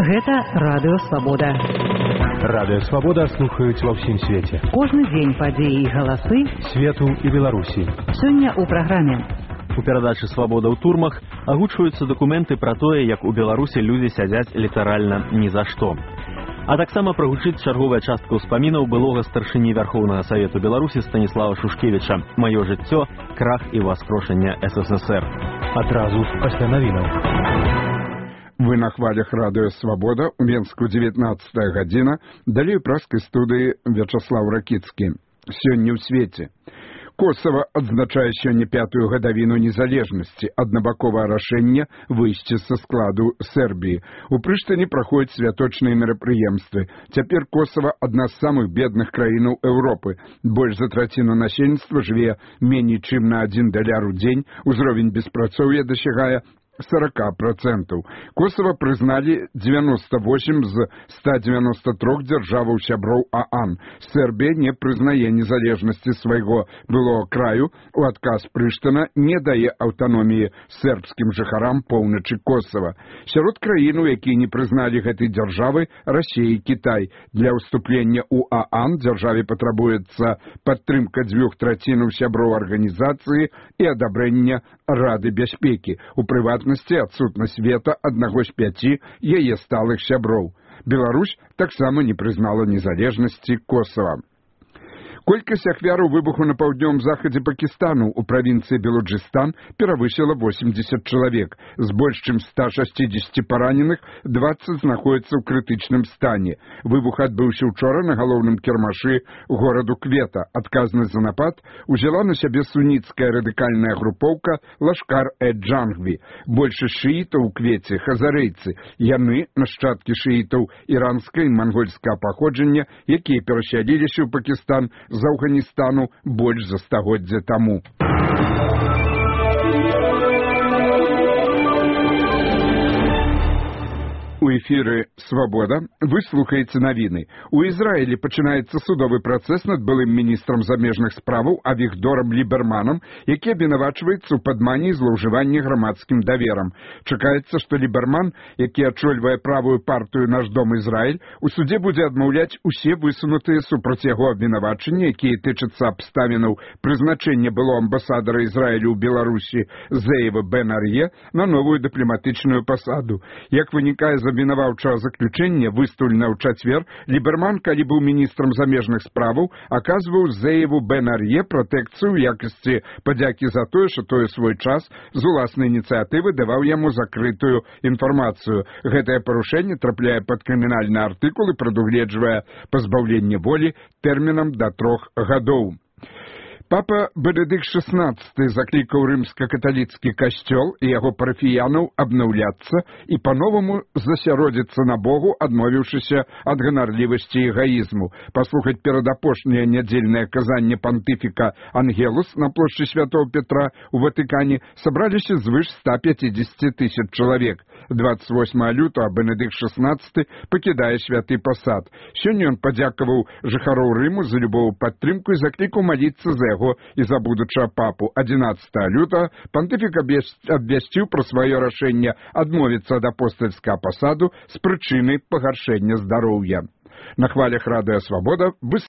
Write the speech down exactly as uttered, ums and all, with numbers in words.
Гэта Радыё Свабода. Радыё Свабода слухаюць ва ўсім свеце. Кожны дзень падзеі і галасы свету і Беларусі. Сёння ў праграме. У перадачы «Свабода ў турмах» агучваюцца дакументы пра тое, як у Беларусі людзі сядзяць літаральна ні за што. А таксама прагучыць чарговая частка ўспамінаў былога старшыні Вярхоўнага Савету Беларусі Станіслава Шушкевіча «Маё жыццё, крах і воскрошэнне СССР». Адразу пасля навінаў. Вы на хвалях Радыё Свабода, у Менску дзевятнаццатая гадзіна, далей у праскай студыі Вячаслаў Ракіцкі. Сёння ў свеце. Косово адзначае сёння пятую гадавіну незалежнасці, аднабаковае рашэнне выйсці са складу Сербіі. У Прыштыне праходзяць святочныя мерапрыемствы. Цяпер Косово адна з самых бедных краінаў Еўропы. Больш за траціну насельніцтва жыве меней чым на адзін даляр у дзень, узровень беспрацоўя дасягае сорок процентов. Косово прызналі девяносто восемь з ста девяноста трёх дзяржаваў сяброў ААН. Сербія не прызнае незалежнасці свайго былога краю. У адказ Прыштына не дае аўтаноміі сербскім жыхарам поўначы Косово. Сярод краін, якія не прызналі гэтай дзяржавы, Расія і Кітай. Для ўступлення ў ААН дзяржаве патрабуецца падтрымка дзвюх трацінаў сяброў арганізацыі і адабрэння Рады бяспекі. У прыватнасці адсутнасць вета аднаго з пяці яе сталых сяброў. Беларусь таксама не прызнала незалежнасці Косово. Колькасць ахвяраў выбуху на паўднёвым захадзе Пакістану ў правінцыі Белуджыстан перавысіла восемьдесят чалавек. З больш чым ста шасцідзесяці параненых дваццаць знаходзяцца ў крытычным стане. Выбух адбыўся учора на галоўным кірмашы гораду Квета. Адказнасць за напад узяла на сябе суніцкая радыкальная групоўка Лашкар-э-Джангві. Большасць шыітаў у Квеце хазарэйцы. Яны нашчадкі шыітаў іранскага і мангольскага паходжання, якія перасяліліся ў Пакістан з Афганістану больш за стагоддзя таму. У эфіры «Свабода» вы слухаеце навіны. У Ізраілі пачынаецца судовы працэс над былым міністрам замежных справаў Авігдорам Ліберманам, які абвінавачваецца ў падмане і злоўжыванні грамадскім даверам. Чакаецца, што Ліберман, які ачольвае правую партыю «Наш дом Ізраіль», у судзе будзе адмаўляць усе высунутыя супраць яго абвінавачанні, якія тычацца абставінаў прызначэння былого амбасадара Ізраілю ў Беларусі Зеева Бен-Ар'е на новую дыпламатычную пасаду. Як вынікае з абвінаваўчага заключэння, выстаўлена ў чацвер, Ліберман, калі быў міністрам замежных справаў, аказваў Зееву Бен-Ар'е пратэкцыю ў якасці падзякі за тое, што той свой час з уласнай ініцыятывы даваў яму закрытую інфармацыю. Гэтае парушэнне трапляе пад крымінальны артыкул і прадугледжвае пазбаўленне волі тэрмінам да трох гадоў. Папа Бенедыкт шаснаццаты заклікаў рымска-каталіцкі касцёл і яго парафіянаў абнаўляцца і па-новаму засяродзіцца на Богу, адмовіўшыся ад ганарлівасці і эгаізму. Паслухаць перадапошняе нядзельнае казанне пантыфіка Ангелус на плошчы Святого Петра ў Ватыкане сабраліся звыш ста пяцідзесяці тысяч чалавек. двадцать восьмага лютага Бенедыкт шаснаццаты пакідае святы пасад. Сёння ён падзякаваў жыхароў Рыму за любову падтрымку і заклікаў маліцца за яго і за будучага папу. адзінаццатага лютага пантыфік абвясціў пра сваё рашэнне адмовіцца ад апостальскага пасаду з прычыны пагаршэння здароўя. На хвалях Радыё Свабода вы